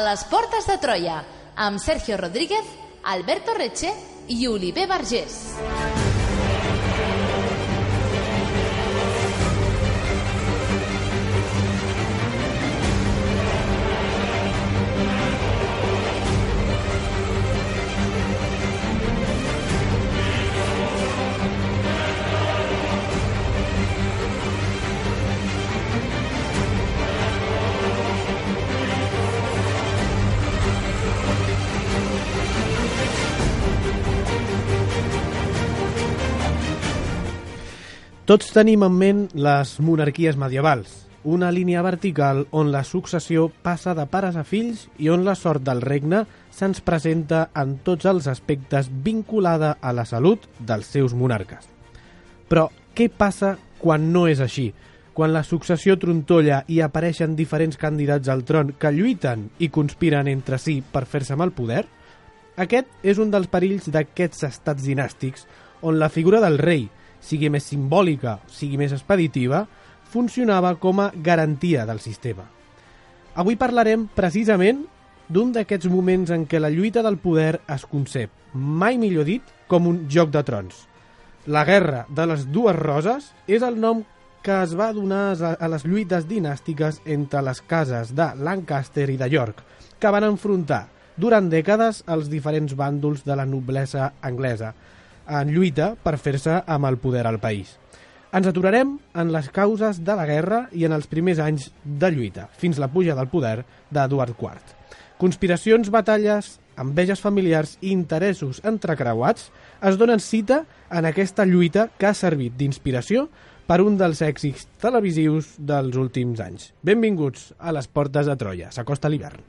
les portes de Troia, amb Sergio Rodríguez, Alberto Reche i Oliver Vergés. Tots tenim en ment les monarquies medievals, una línia vertical on la successió passa de pares a fills i on la sort del regne se'ns presenta en tots els aspectes vinculada a la salut dels seus monarques. Però què passa quan no és així? Quan la successió trontolla i apareixen diferents candidats al tron que lluiten i conspiren entre si per fer-se amb el poder? Aquest és un dels perills d'aquests estats dinàstics on la figura del rei, sigui més simbòlica, sigui més expeditiva, funcionava com a garantia del sistema. Avui parlarem precisament d'un d'aquests moments en què la lluita del poder es concep, mai millor dit, com un joc de trons. La Guerra de les Dues Roses és el nom que es va donar a les lluites dinàstiques entre les cases de Lancaster i de York, que van enfrontar durant dècades els diferents bàndols de la noblesa anglesa, en lluita per fer-se amb el poder al país. Ens aturarem en les causes de la guerra i en els primers anys de lluita, fins la puja del poder d'Eduard IV. Conspiracions, batalles, enveges familiars i interessos entrecreuats es donen cita en aquesta lluita que ha servit d'inspiració per un dels èxits televisius dels últims anys. Benvinguts a les portes de Troia. S'acosta l'hivern.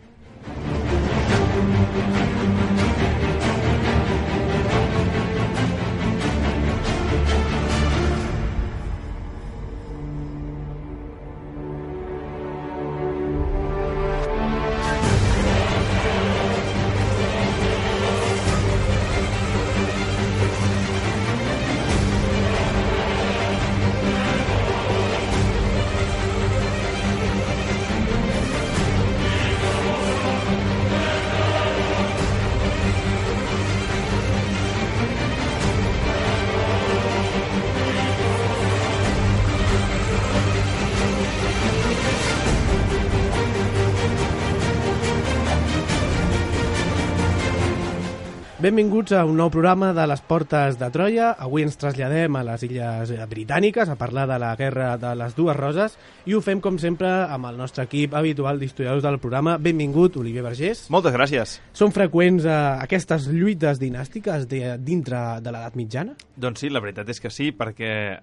Benvinguts a un nou programa de les Portes de Troia. Avui ens traslladem a les Illes Britàniques a parlar de la Guerra de les Dues Roses i ho fem, com sempre, amb el nostre equip habitual d'historiadors del programa. Benvingut, Oliver Vergés. Moltes gràcies. Són freqüents aquestes lluites dinàstiques dintre de l'edat mitjana? Doncs sí, la veritat és que sí, perquè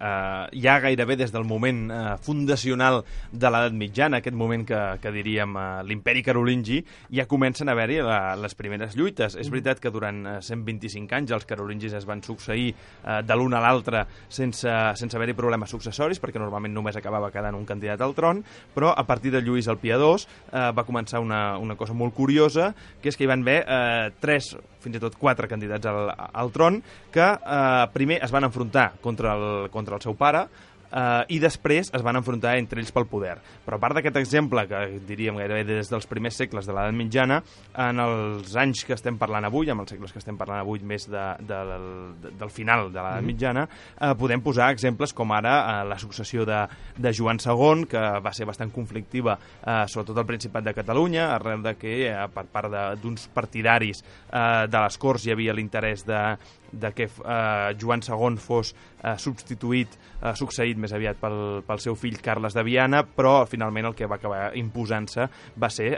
ja gairebé des del moment fundacional de l'edat mitjana, aquest moment que diríem l'imperi carolingi, ja comencen a haver-hi les primeres lluites. És veritat que durant 125 anys els carolingis es van succeir de l'un a l'altre sense haver-hi problemes successoris, perquè normalment només acabava quedant un candidat al tron, però a partir de Lluís el Piadós va començar una cosa molt curiosa, que és que hi van haver 3, fins i tot 4 candidats al tron, que primer es van enfrontar contra el seu pare, i després es van enfrontar entre ells pel poder. Però a part d'aquest exemple, que diríem gairebé des dels primers segles de l'edat mitjana, en els anys que estem parlant avui, en els segles que estem parlant avui més del final de l'edat mitjana, podem posar exemples com ara la successió de Joan II, que va ser bastant conflictiva, sobretot al Principat de Catalunya, arrel de que per part d'uns partidaris de les Corts hi havia l'interès de que Joan II fos succeït més aviat pel seu fill Carles de Viana, però finalment el que va acabar imposant-se va ser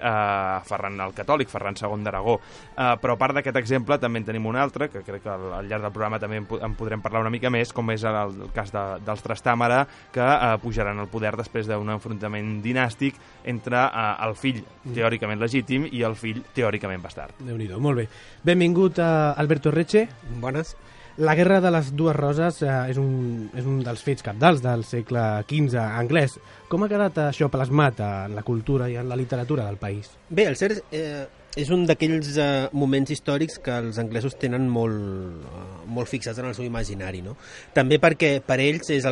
Ferran el Catòlic, Ferran II d'Aragó. Però a part d'aquest exemple també en tenim un altre, que crec que al llarg del programa també en podrem parlar una mica més, com és el cas dels Trastàmara, que pujaran al poder després d'un enfrontament dinàstic entre el fill teòricament legítim i el fill teòricament bastard. Déu-n'hi-do, molt bé. Benvingut a Alberto Reche. Bones. La Guerra de les Dues Roses és un dels fets cabdals del segle XV anglès. Com ha quedat això plasmat en la cultura i en la literatura del país? Bé, el cert és un d'aquells moments històrics que els anglesos tenen molt fixats en el seu imaginari, no? També perquè per ells és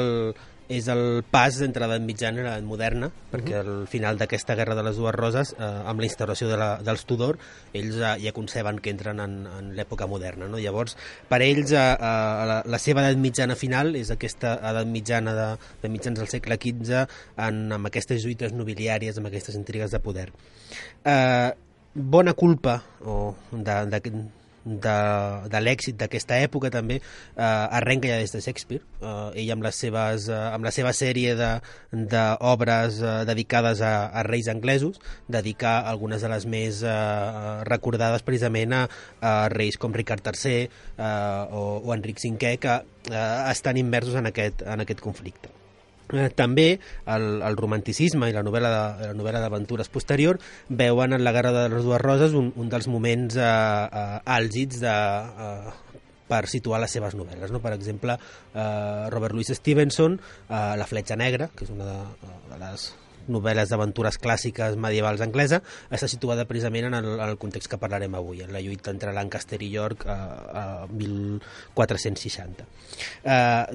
és el pas entre l'edat mitjana i l'edat moderna, perquè al final d'aquesta Guerra de les Dues Roses, amb la instauració dels Tudor, ells ja conceben que entren en l'època moderna, no? Llavors, per ells, la seva edat mitjana final és aquesta edat mitjana de mitjans del segle XV, amb aquestes lluites nobiliàries, amb aquestes intrigues de poder. Bona culpa de l'èxit d'aquesta època també arrenca ja des de Shakespeare. Ell amb la seva sèrie d'obres dedicades a reis anglesos dedica algunes de les més recordades precisament a reis com Ricard III o Enric V, que estan immersos en aquest conflicte. També el romanticisme i la novel·la d'aventures posterior veuen en la Guerra de les Dues Roses un dels moments àlgids per situar les seves novel·les, no? Per exemple, Robert Louis Stevenson, La fletxa negra, que és una de les novel·les d'aventures clàssiques medievals anglesa, està situada precisament en el context que parlarem avui, en la lluita entre Lancaster i York a 1460.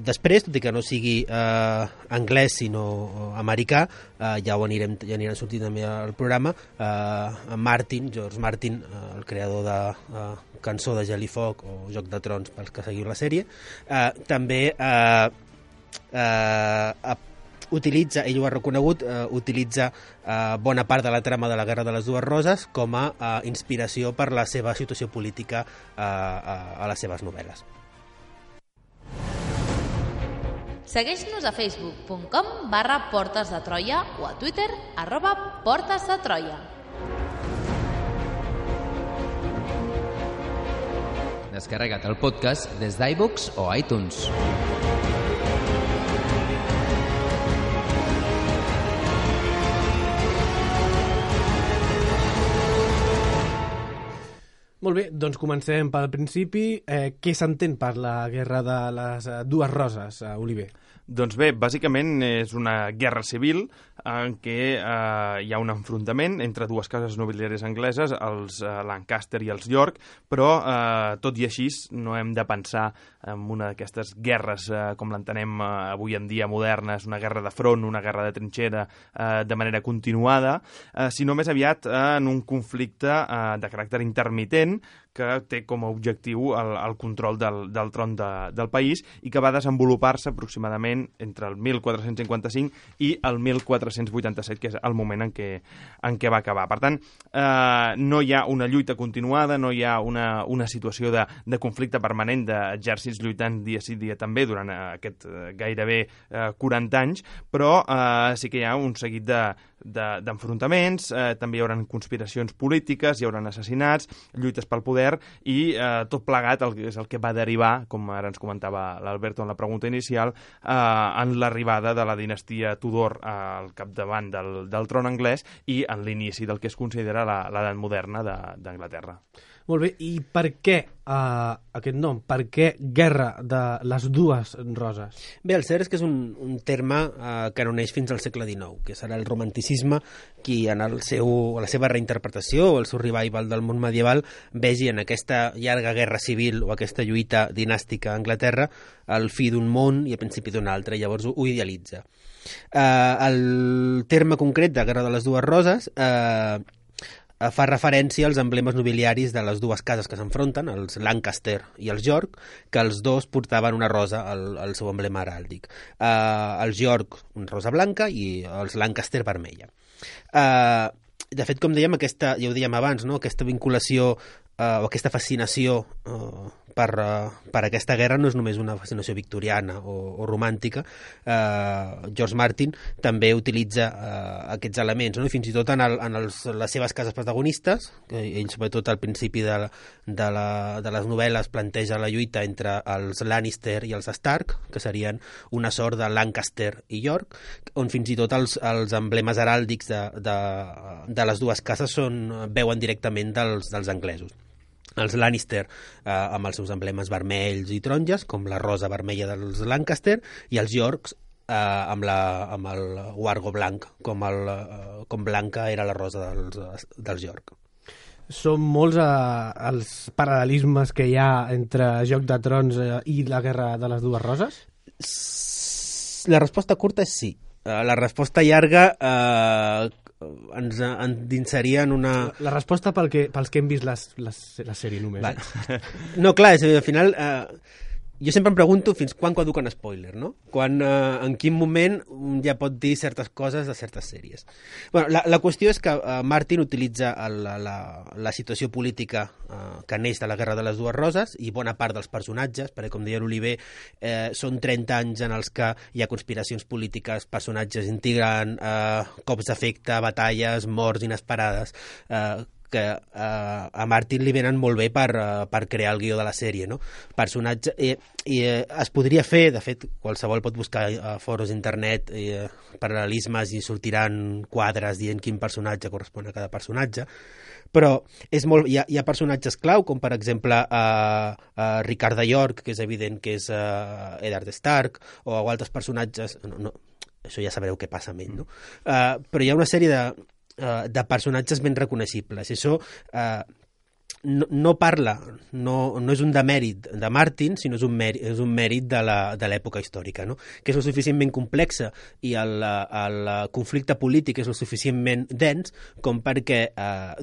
Després, tot i que no sigui anglès sinó americà, ja aniran sortint també al programa, George Martin, el creador de Cançó de Gel i Foc o Joc de Trons pels que seguiu la sèrie, també utilitza, ell ho ha reconegut, utilitza bona part de la trama de la Guerra de les Dues Roses com a inspiració per la seva situació política a les seves novel·les. Segueix-nos a facebook.com/Portes de Troia o a Twitter @Portes de Troia. Descarrega't el podcast des d'iVoox o iTunes. Molt bé, doncs comencem pel principi. Què s'entén per la Guerra de les Dues Roses, Oliver? Doncs bé, bàsicament és una guerra civil en què hi ha un enfrontament entre dues cases nobiliàries angleses, els Lancaster i els York, però tot i així no hem de pensar en una d'aquestes guerres com l'entenem avui en dia modernes, una guerra de front, una guerra de trinxera de manera continuada, sinó més aviat en un conflicte de caràcter intermitent que té com a objectiu el control del tron del país i que va desenvolupar-se aproximadament entre el 1455 i el 1487, que és el moment en què va acabar. Per tant, no hi ha una lluita continuada, no hi ha una situació de conflicte permanent d'exèrcits lluitant dia sí dia també durant aquest gairebé 40 anys, però sí que hi ha un seguit d'enfrontaments, també hi haurà conspiracions polítiques, hi haurà assassinats, lluites pel poder i tot plegat és el que va derivar, com ara ens comentava l'Alberto en la pregunta inicial, en l'arribada de la dinastia Tudor al capdavant del tron anglès i en l'inici del que es considera l'edat moderna d'Anglaterra. Molt bé, i per què aquest nom? Per què Guerra de les Dues Roses? Bé, el cert és que és un terme que no neix fins al segle XIX, que serà el romanticisme qui en la seva reinterpretació o el seu revival del món medieval vegi en aquesta llarga guerra civil o aquesta lluita dinàstica a Anglaterra el fi d'un món i el principi d'un altre, i llavors ho idealitza. El terme concret de Guerra de les Dues Roses fa referència als emblemes nobiliaris de les dues cases que s'enfronten, els Lancaster i els York, que els dos portaven una rosa al seu emblema heràldic. Els York, una rosa blanca, i els Lancaster, vermella. De fet, com dèiem, ja ho dèiem abans, no? Aquesta vinculació o aquesta fascinació per aquesta guerra no és només una fascinació victoriana o romàntica. George Martin també utilitza aquests elements, no? I fins i tot en les seves cases protagonistes, ell sobretot al principi de les novel·les planteja la lluita entre els Lannister i els Stark, que serien una sort de Lancaster i York, on fins i tot els emblemes heràldics de les dues cases veuen directament dels anglesos. Els Lannister amb els seus emblemes vermells i taronges, com la rosa vermella dels Lancaster, i els Yorks amb el guargo blanc, com blanca era la rosa dels York. Són molts els paral·lelismes que hi ha entre Joc de Trons i la Guerra de les Dues Roses? La resposta curta és sí. La resposta llarga ens endinsaria en una... La resposta pels que hem vist la sèrie només. Vale. No, clar, és, al final... jo sempre em pregunto fins quan caduca un spoiler, no? En quin moment ja pot dir certes coses de certes sèries. Bueno, la qüestió és que Martin utilitza la situació política que neix de la Guerra de les Dues Roses i bona part dels personatges, perquè com deia l'Oliver, són 30 anys en els que hi ha conspiracions polítiques, personatges intrigant, cops d'efecte, batalles, morts inesperades, que a Martin li venen molt bé per crear el guió de la sèrie, no? Personatge, i es podria fer, de fet, qualsevol pot buscar a foros d'internet paral·lelismes i sortiran quadres dient quin personatge correspon a cada personatge, però és molt, hi ha personatges clau, com per exemple Ricard de York, que és evident que és Eddard Stark, o altres personatges... No, això ja sabreu què passa amb ell, no? Però hi ha una sèrie de personatges ben reconeixibles. I això no parla, no és un demèrit de Martin, sinó és un mèrit de l'època històrica, no? Que és lo suficientment complexa i el conflicte polític és lo suficientment dens com perquè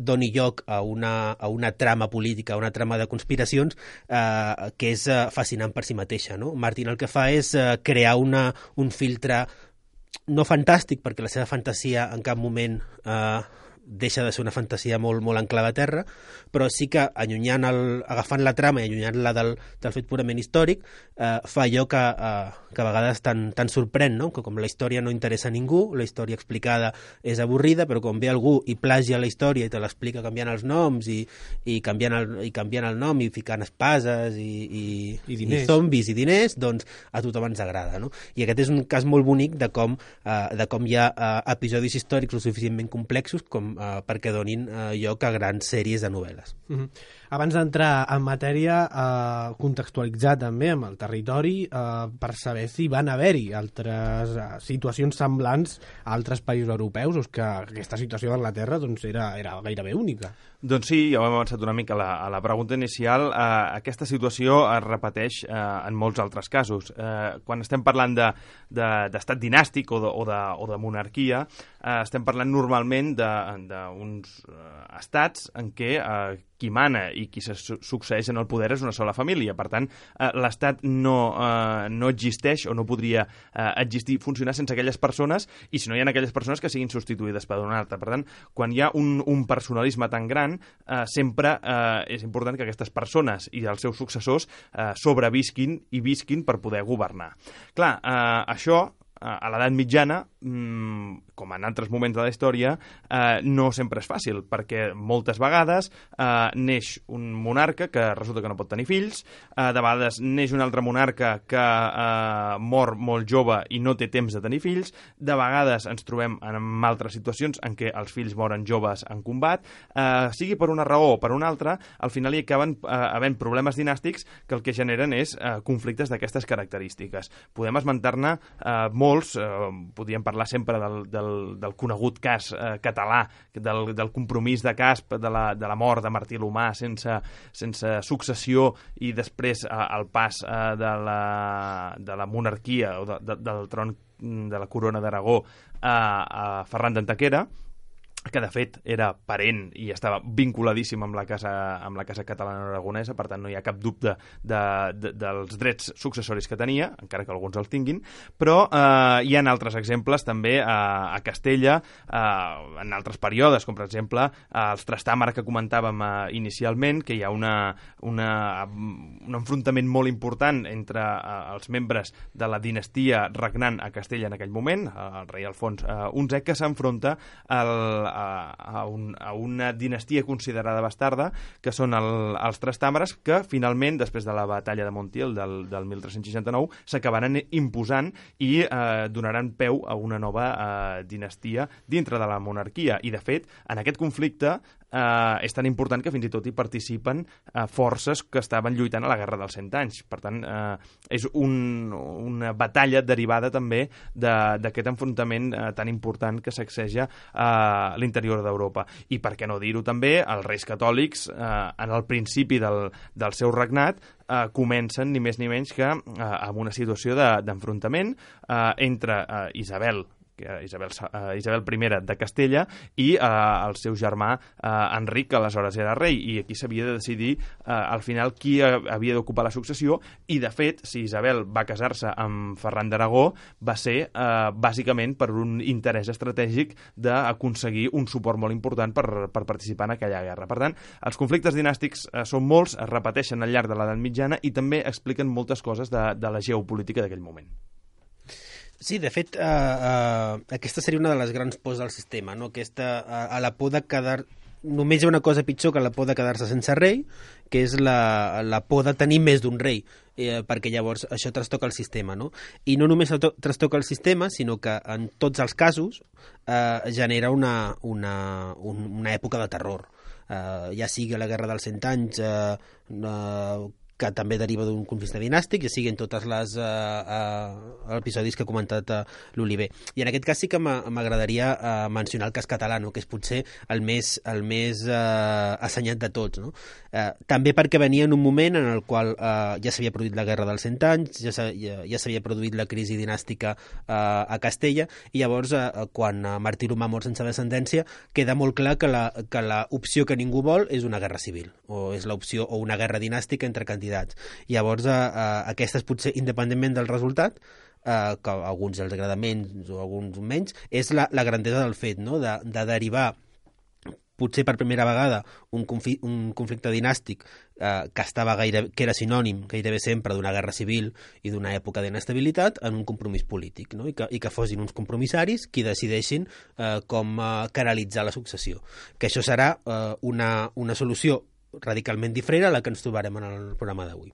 doni lloc a una trama política, a una trama de conspiracions que és fascinant per si mateixa, no? Martin el que fa és crear un filtre no fantàstic, perquè la seva fantasia en cap moment deixa de ser una fantasia molt, molt anclada a terra, però sí que agafant la trama i allunyant-la del fet purament històric, fa allò que a vegades tan sorprèn, no? Que com la història no interessa a ningú, la història explicada és avorrida, però quan ve algú i plagia la història i te l'explica canviant els noms i canviant el nom i ficant espases i zombis i diners, doncs a tothom ens agrada, no? I aquest és un cas molt bonic de com hi ha episodis històrics lo suficientment complexos com perquè donin lloc a grans sèries de novel·les. Abans d'entrar en matèria, contextualitzar també amb el territori per saber si van haver-hi altres situacions semblants a altres països europeus o que aquesta situació d'Anglaterra doncs, era gairebé única. Doncs sí, ja ho hem avançat una mica a la pregunta inicial. Aquesta situació es repeteix en molts altres casos. Quan estem parlant d'estat dinàstic o de monarquia, estem parlant normalment d'uns estats en què qui mana i qui se succeeix en el poder és una sola família. Per tant, l'estat no existeix o no podria existir, funcionar sense aquelles persones i si no hi ha aquelles persones que siguin substituïdes per una altra. Per tant, quan hi ha un personalisme tan gran, sempre és important que aquestes persones i els seus successors sobrevisquin i visquin per poder governar. Clar, això a l'edat mitjana, com en altres moments de la història, no sempre és fàcil, perquè moltes vegades neix un monarca que resulta que no pot tenir fills, de vegades neix un altre monarca que mor molt jove i no té temps de tenir fills, de vegades ens trobem en altres situacions en què els fills moren joves en combat, sigui per una raó o per una altra, al final hi acaben havent problemes dinàstics que el que generen és conflictes d'aquestes característiques. Podem esmentar-ne molts, podríem parlar sempre del conegut cas català, del compromís de Casp, de la mort de Martí l'Humà sense successió i després el pas de la monarquia o del tron de la corona d'Aragó a Ferran d'Antequera, que de fet era parent i estava vinculadíssim amb la casa catalana aragonesa, per tant no hi ha cap dubte dels drets successoris que tenia, encara que alguns els tinguin, però hi ha altres exemples també a Castella, en altres períodes, com per exemple els Trastàmara que comentàvem inicialment, que hi ha un enfrontament molt important entre els membres de la dinastia regnant a Castella en aquell moment, el rei Alfons XI, que s'enfronta a una dinastia considerada bastarda, que són els Trastàmares, que finalment, després de la batalla de Montiel del 1369, s'acabaran imposant i donaran peu a una nova dinastia dintre de la monarquia. I, de fet, en aquest conflicte és tan important que fins i tot hi participen forces que estaven lluitant a la Guerra dels 100 anys. Per tant, és una batalla derivada també d'aquest enfrontament tan important que sacseja l'interior d'Europa. I per què no dir-ho també, els reis catòlics, en el principi del seu regnat, comencen ni més ni menys que amb una situació d'enfrontament entre Isabel I de Castella i el seu germà Enric, que aleshores era rei, i aquí s'havia de decidir al final qui havia d'ocupar la successió, i de fet, si Isabel va casar-se amb Ferran d'Aragó, va ser bàsicament per un interès estratègic d'aconseguir un suport molt important per participar en aquella guerra. Per tant, els conflictes dinàstics són molts, es repeteixen al llarg de l'edat mitjana i també expliquen moltes coses de la geopolítica d'aquell moment. Sí, de fet, aquesta seria una de les grans pors del sistema, no? A la por de quedar... Només hi ha una cosa pitjor que la por de quedar-se sense rei, que és la por de tenir més d'un rei, perquè llavors això trastoca el sistema, no? I no només trastoca el sistema, sinó que en tots els casos genera una època de terror. Ja sigui la Guerra dels 100 anys, que també deriva d'un conflicte dinàstic, ja siguin totes les episodis que ha comentat l'Oliver. I en aquest cas sí que m'agradaria mencionar el cas català, no? Que és potser el més assenyat de tots, no? També perquè venia en un moment en el qual ja s'havia produït la Guerra dels 100 anys, ja s'havia produït la crisi dinàstica a Castella, i llavors quan Martí l'Humà mor sense descendència queda molt clar que l'opció que ningú vol és una guerra civil, o és l'opció o una guerra dinàstica entre candidats. Llavors, aquestes potser, independentment del resultat, que a alguns els agrada menys o a alguns menys, és la grandesa del fet, no? De derivar potser per primera vegada un conflicte dinàstic que era sinònim gairebé sempre d'una guerra civil i d'una època d'inestabilitat, en un compromís polític, no? I que fossin uns compromissaris qui decideixin com canalitzar la successió. Que això serà una solució radicalment diferent a la que ens trobarem en el programa d'avui.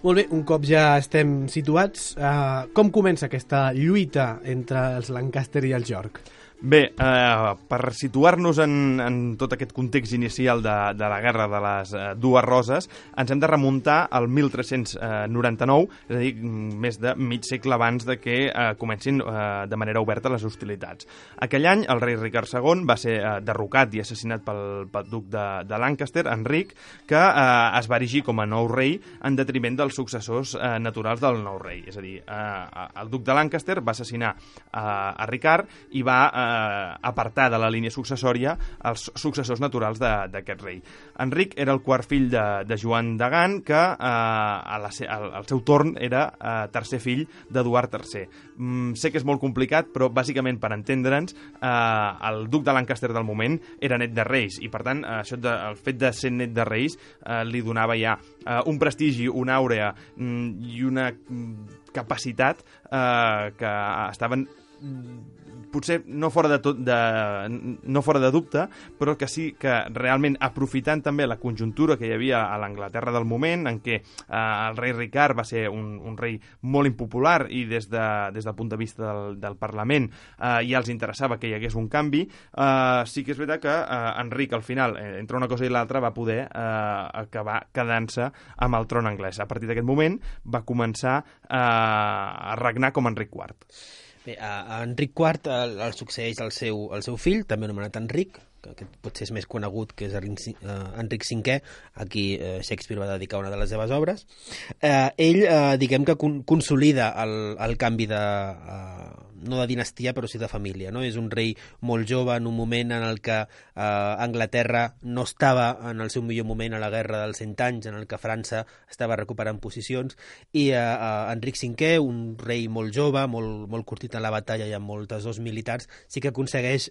Molt bé, un cop ja estem situats, com comença aquesta lluita entre els Lancaster i els York? Bé, per situar-nos en tot aquest context inicial de la Guerra de les Dues Roses, ens hem de remuntar al 1399, és a dir, més de mig segle abans de que comencin de manera oberta les hostilitats. Aquell any, el rei Ricard II va ser derrocat i assassinat pel duc de Lancaster, Enric, que es va erigir com a nou rei en detriment dels successors naturals del nou rei. És a dir, el duc de Lancaster va assassinar a Ricard i va apartar de la línia successòria els successors naturals d'aquest rei. Enric era el quart fill de Joan de Gant, que al seu torn era tercer fill d'Eduard III. Sé que és molt complicat, però bàsicament per entendre'ns, el duc de Lancaster del moment era net de reis, i per tant el fet de ser net de reis li donava ja un prestigi, una àurea i una capacitat que estaven potser no fora de dubte, però que sí que realment aprofitant també la conjuntura que hi havia a l'Anglaterra del moment, en què el rei Ricard va ser un rei molt impopular i des del punt de vista del Parlament ja els interessava que hi hagués un canvi, sí que és veritat que Enric al final, entre una cosa i l'altra, va poder acabar quedant-se amb el tron anglès. A partir d'aquest moment va començar a regnar com Enric IV. Bé, a Enric IV el succeeix el seu fill, també anomenat Enric, que potser és més conegut, que és Enric V, a qui Shakespeare va dedicar una de les seves obres. Ell, diguem que consolida el canvi no de dinastia però sí de família, no? És un rei molt jove en un moment en el que Anglaterra no estava en el seu millor moment a la guerra dels 100 anys, en el que França estava recuperant posicions, i Enric V, un rei molt jove, molt curtit en la batalla i amb moltes dos militars, sí que aconsegueix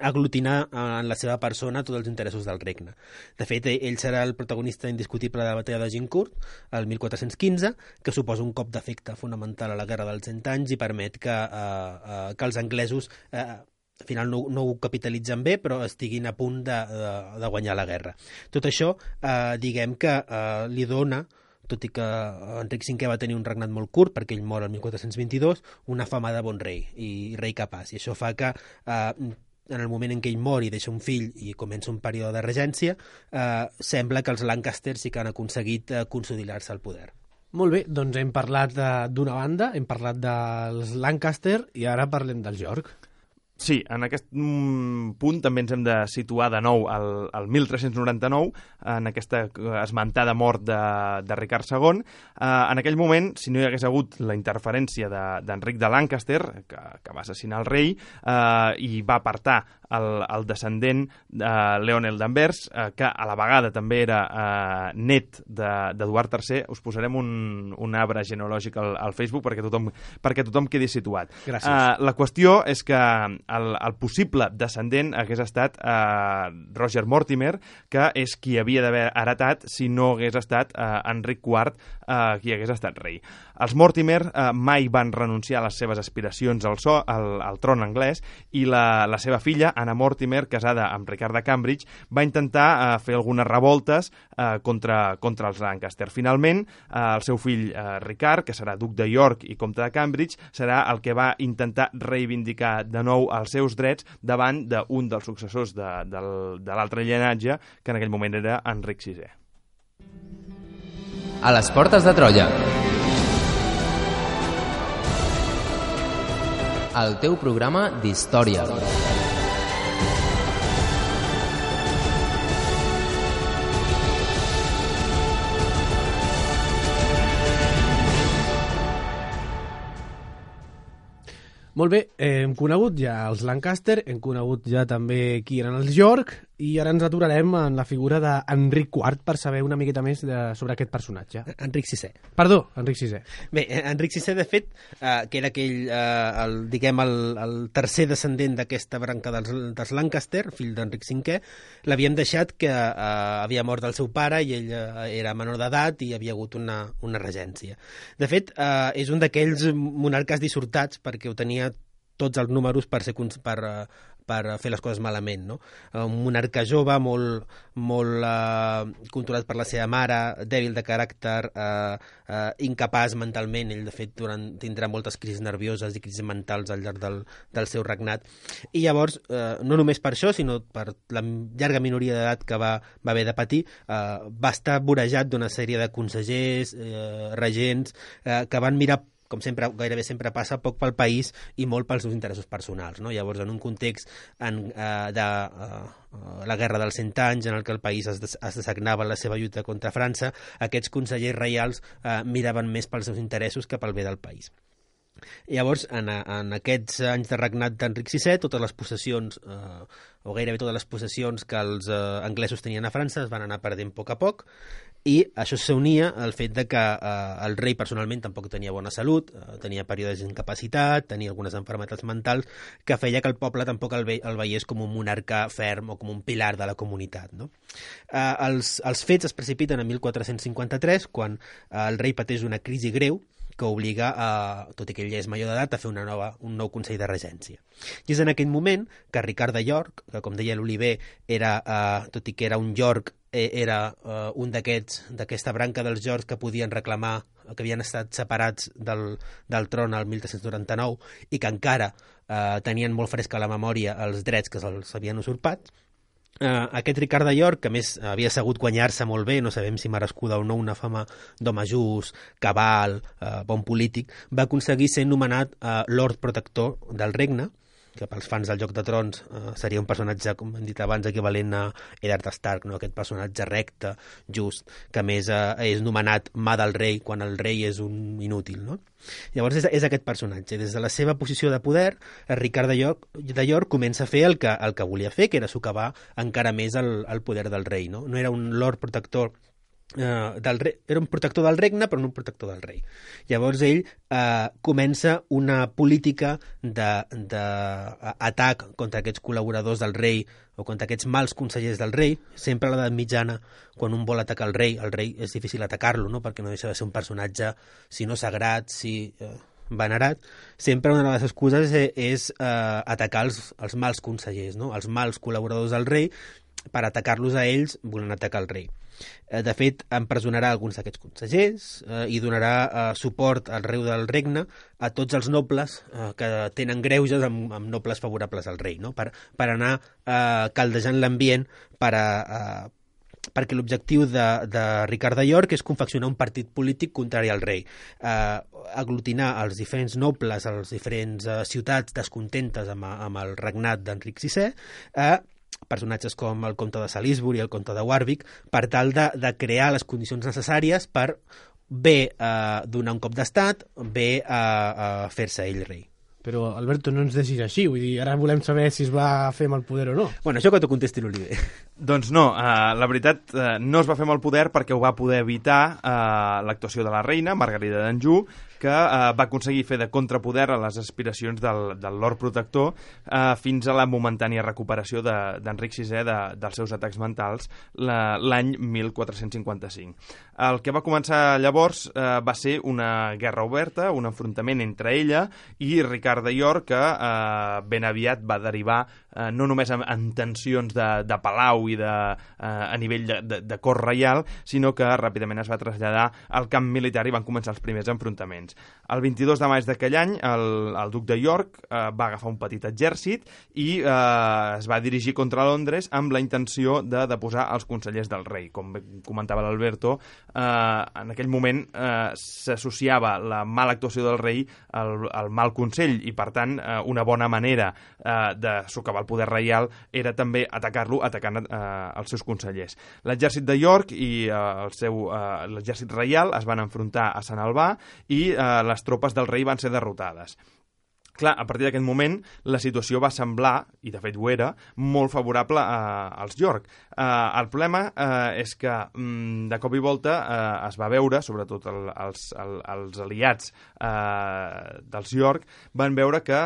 aglutinar en la seva persona tots els interessos del regne. De fet, ell serà el protagonista indiscutible de la batalla de Gincourt, el 1415, que suposa un cop d'efecte fonamental a la guerra dels 100 anys i permet que els anglesos al final no ho capitalitzen bé, però estiguin a punt de guanyar la guerra. Tot això, diguem que li dona, tot i que Enric V va tenir un regnat molt curt, perquè ell mor el 1422, una fama de bon rei i rei capaç. I això fa que en el moment en què ell mor i deixa un fill i comença un període de regència, sembla que els Lancaster sí que han aconseguit consolidar-se al poder. Molt bé, doncs hem parlat d'una banda, hem parlat dels Lancaster i ara parlem dels York. Sí, en aquest punt també ens hem de situar de nou al 1399, en aquesta esmentada mort de Ricard II. En aquell moment, si no hi hagués hagut la interferència d'Enric de Lancaster, que va assassinar el rei, i va apartar el descendent Leonel d'Anvers, que a la vegada també era net d'Eduard III. Us posarem un arbre genealògic al Facebook perquè tothom quedi situat. Gràcies. La qüestió és que el possible descendent hagués estat Roger Mortimer, que és qui havia d'haver heretat si no hagués estat Enric IV qui hagués estat rei. Els Mortimer mai van renunciar a les seves aspiracions al tron anglès, i la seva filla, Anna Mortimer, casada amb Ricard de Cambridge, va intentar fer algunes revoltes contra els Lancaster. Finalment, el seu fill Ricard, que serà duc de York i comte de Cambridge, serà el que va intentar reivindicar de nou els seus drets davant d'un dels successors de l'altre llinatge, que en aquell moment era Enric VI. A les portes de Troia. El teu programa d'història. Molt bé, hem conegut ja els Lancaster, hem conegut ja també qui eren els York, i ara ens aturarem en la figura d'Enric IV per saber una miqueta més sobre aquest personatge. Enric VI. Perdó, Enric VI. Bé, Enric VI, de fet, que era aquell, el tercer descendent d'aquesta branca dels Lancaster, fill d'Enric V, l'havíem deixat que havia mort el seu pare i ell era menor d'edat i havia hagut una regència. De fet, és un d'aquells monarques dissortats perquè ho tenia tots els números per fer les coses malament, no? Un monarca jove, molt controlat per la seva mare, dèbil de caràcter, incapaç mentalment. Ell, de fet, tindrà moltes crisis nervioses i crisis mentals al llarg del seu regnat. I llavors, no només per això, sinó per la llarga minoria d'edat que va haver de patir, va estar vorejat d'una sèrie de consellers, regents, que van mirar, com sempre, gairebé sempre passa, poc pel país i molt pels seus interessos personals, no? Llavors, en un context de la guerra dels 100 anys, en el que el país es dessagnava la seva lluita contra França, aquests consellers reials miraven més pels seus interessos que pel bé del país. Llavors, en aquests anys de regnat d'Enric VI, totes les possessions, o gairebé totes les possessions que els anglesos tenien a França es van anar perdent a poc, i això s'unia al fet de que el rei personalment tampoc tenia bona salut, tenia períodes d'incapacitat, tenia algunes malalties mentals, que feia que el poble tampoc el veiés com un monarca ferm o com un pilar de la comunitat, no? Els fets es precipiten en 1453, quan el rei pateix una crisi greu que obliga, tot i que ell ja és major d'edat, a fer un nou Consell de Regència. I és en aquell moment que Ricard de York, que com deia l'Oliver, tot i que era un York, era un d'aquesta branca dels Yorks que podien reclamar, que havien estat separats del tron al 1399 i que encara tenien molt fresca a la memòria els drets que se'ls havien usurpat. Aquest Ricard de York, que a més havia sabut guanyar-se molt bé, no sabem si merescuda o no, una fama d'home just, cabal, bon polític, va aconseguir ser nomenat Lord Protector del regne, que pels fans del Joc de Trons seria un personatge, com hem dit abans, equivalent a Eddard Stark, no? Aquest personatge recte, just, que a més és nomenat mà del rei, quan el rei és un inútil, no? Llavors és aquest personatge. Des de la seva posició de poder, Ricard de York comença a fer el que volia fer, que era socavar encara més el poder del rei, no? No era un lord protector del rei, era un protector del regne però no un protector del rei. Llavors ell comença una política d'atac contra aquests col·laboradors del rei o contra aquests mals consellers del rei. Sempre a l'edat mitjana, quan un vol atacar el rei és difícil atacar-lo, no? Perquè no deixa de ser un personatge, si no sagrat, si venerat. Sempre una de les excuses és atacar els mals consellers, no? Els mals col·laboradors del rei, per atacar-los a ells volen atacar el rei. De fet, empresonarà alguns d'aquests consellers i donarà suport al rei del regne a tots els nobles que tenen greuges amb nobles favorables al rei, no? Per anar caldejant l'ambient perquè l'objectiu de Ricard de York és confeccionar un partit polític contrari al rei, aglutinar els diferents nobles, les diferents ciutats descontentes amb el regnat d'Enric VI, personatges com el comte de Salisbury, el comte de Warwick, per tal de crear les condicions necessàries per bé donar un cop d'estat, bé fer-se ell rei. Però, Alberto, no ens deixis així. Vull dir, ara volem saber si es va fer amb el poder o no. Bueno, això que t'ho contesti l'Oliver. Doncs no, la veritat no es va fer amb el poder perquè ho va poder evitar l'actuació de la reina, Margarida d'Anjou, que va aconseguir fer de contrapoder a les aspiracions del Lord Protector fins a la momentània recuperació d'Enric VI dels seus atacs mentals l'any 1455. El que va començar llavors va ser una guerra oberta, un enfrontament entre ella i Ricard de York, que ben aviat va derivar no només en tensions de palau i a nivell de cort reial, sinó que ràpidament es va traslladar al camp militar i van començar els primers enfrontaments. El 22 de maig d'aquell any, el duc de York va agafar un petit exèrcit i es va dirigir contra Londres amb la intenció de deposar els consellers del rei. Com comentava l'Alberto, en aquell moment s'associava la mala actuació del rei al mal consell i, per tant, una bona manera de socavar el poder reial era també atacar-lo atacant els seus consellers. L'exèrcit de York i l'exèrcit reial es van enfrontar a Sant Albà i les tropes del rei van ser derrotades. Clar, a partir d'aquest moment la situació va semblar, i de fet ho era, molt favorable als York. El problema és que de cop i volta es va veure, sobretot els aliats dels York, van veure que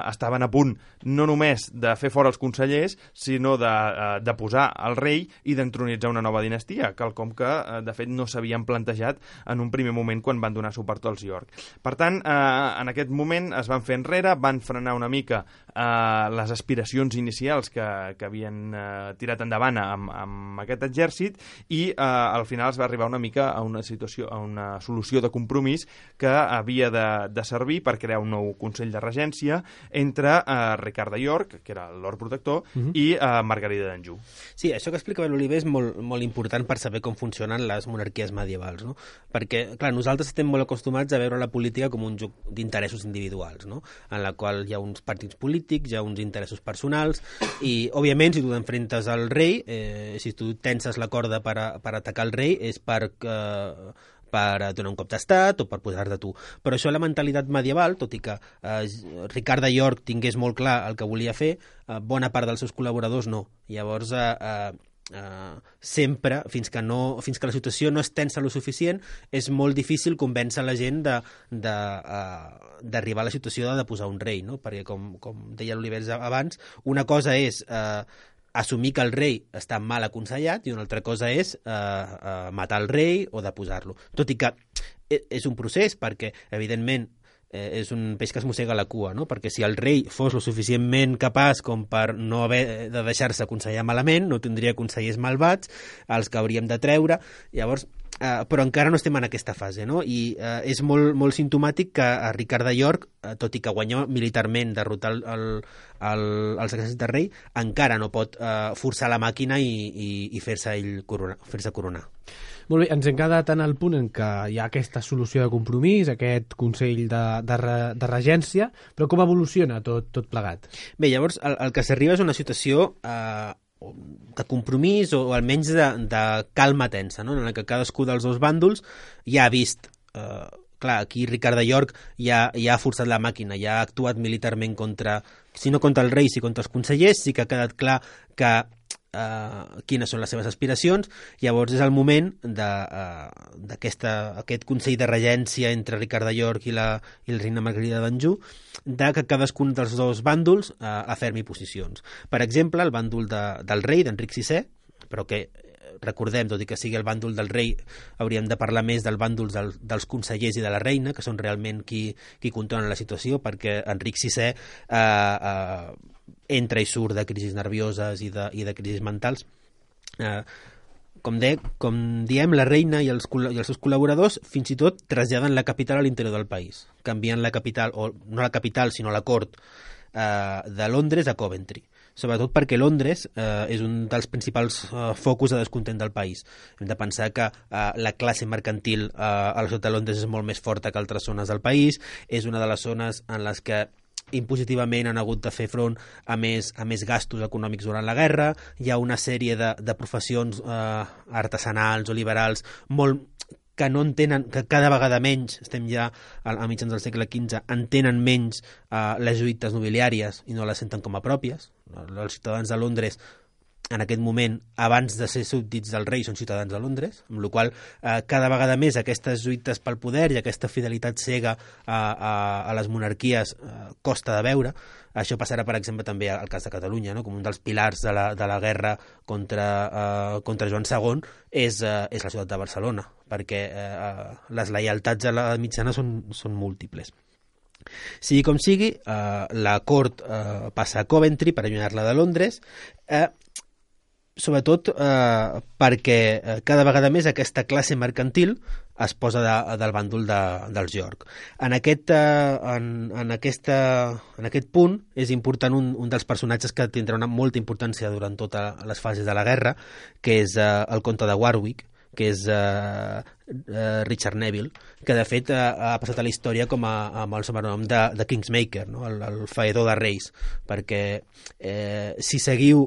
estaven a punt no només de fer fora els consellers, sinó de posar el rei i d'entronitzar una nova dinastia, quelcom que de fet no s'havien plantejat en un primer moment quan van donar suport als York. Per tant, en aquest moment es van fer enrere, van frenar una mica les aspiracions inicials que havien tirat endavant amb aquest exèrcit i al final es va arribar una mica a una solució de compromís que havia de servir per crear un nou Consell de Regència entre Ricard de York, que era el Lord Protector, i Margarida d'Anjou. Sí, això que explicava l'Oliver és molt important per saber com funcionen les monarquies medievals, no? Perquè, clar, nosaltres estem molt acostumats a veure la política com un joc d'interessos individuals, no? En la qual hi ha uns partits polítics, hi ha uns interessos personals i, òbviament, si tu t'enfrentes al rei, si tu tenses la corda per atacar el rei, és per donar un cop d'estat o per posar-te tu. Però això, la mentalitat medieval, tot i que Ricard de York tingués molt clar el que volia fer, bona part dels seus col·laboradors no. Llavors, sempre, fins que la situació no es tensa lo suficient, és molt difícil convèncer la gent d'arribar a la situació de posar un rei, no? Perquè, com deia l'Oliver abans, una cosa és assumir que el rei està mal aconsellat i una altra cosa és matar el rei o deposar-lo. Tot i que és un procés perquè, evidentment, és un peix que es mossega la cua, no? Perquè si el rei fos lo suficientment capaç com per no haver de deixar-se aconsellar malament, no tindria consellers malvats, els que hauríem de treure. Llavors, però encara no estem en aquesta fase, no? I és molt simptomàtic que a Ricard de York, tot i que guanyó militarment derrotar els exèrcits del rei, encara no pot forçar la màquina i fer-se coronar. Molt bé, ens hem quedat en el punt en què hi ha aquesta solució de compromís, aquest Consell de Regència, però com evoluciona tot plegat? Bé, llavors el que s'arriba és una situació de compromís o almenys de calma tensa, no? En la que cadascú dels dos bàndols ja ha vist... clar, aquí Ricard de York ja ha forçat la màquina, ja ha actuat militarment contra, si no contra el rei, si contra els consellers, sí que ha quedat clar que quines són les seves aspiracions. Llavors és el moment d'aquest Consell de Regència entre Ricard de York i la reina Margarida d'Anjou, de que cadascun dels dos bàndols afermi posicions. Per exemple, el bàndol del rei, d'Enric VI, però que recordem, tot i que sigui el bàndol del rei, hauríem de parlar més del bàndol dels consellers i de la reina, que són realment qui controlen la situació, perquè Enric VI entra i surt de crisis nervioses i de crisis mentals. Com diem, la reina i els seus col·laboradors fins i tot traslladen la capital a l'interior del país, canviant la capital, o no la capital, sinó la cort de Londres a Coventry, sobretot perquè Londres és un dels principals focus de descontent del país. Hem de pensar que la classe mercantil a la ciutat de Londres és molt més forta que altres zones del país, és una de les zones en les que impositivament han hagut de fer front a més gastos econòmics durant la guerra. Hi ha una sèrie de professions artesanals o liberals que no entenen, que cada vegada menys, estem ja a mitjans del segle XV, entenen menys les lluites nobiliàries i no les senten com a pròpies. Els ciutadans de Londres, en aquest moment, abans de ser súbdits del rei, són ciutadans de Londres, amb la qual cada vegada més aquestes lluites pel poder i aquesta fidelitat cega a les monarquies costa de veure. Això passarà, per exemple, també al cas de Catalunya, no? Com un dels pilars de la guerra contra Joan II és la ciutat de Barcelona, perquè les lleialtats a la mitjana són múltiples. Sigui com sigui, la cort passa a Coventry per allunyar-la de Londres, sobretot perquè cada vegada més aquesta classe mercantil es posa del bàndol dels York. En aquest punt és important un dels personatges que tindrà molta importància durant totes les fases de la guerra, que és el comte de Warwick, que és Richard Neville, que de fet ha passat a la història amb el sobrenom de Kingsmaker, no? el faedor de reis, perquè si seguiu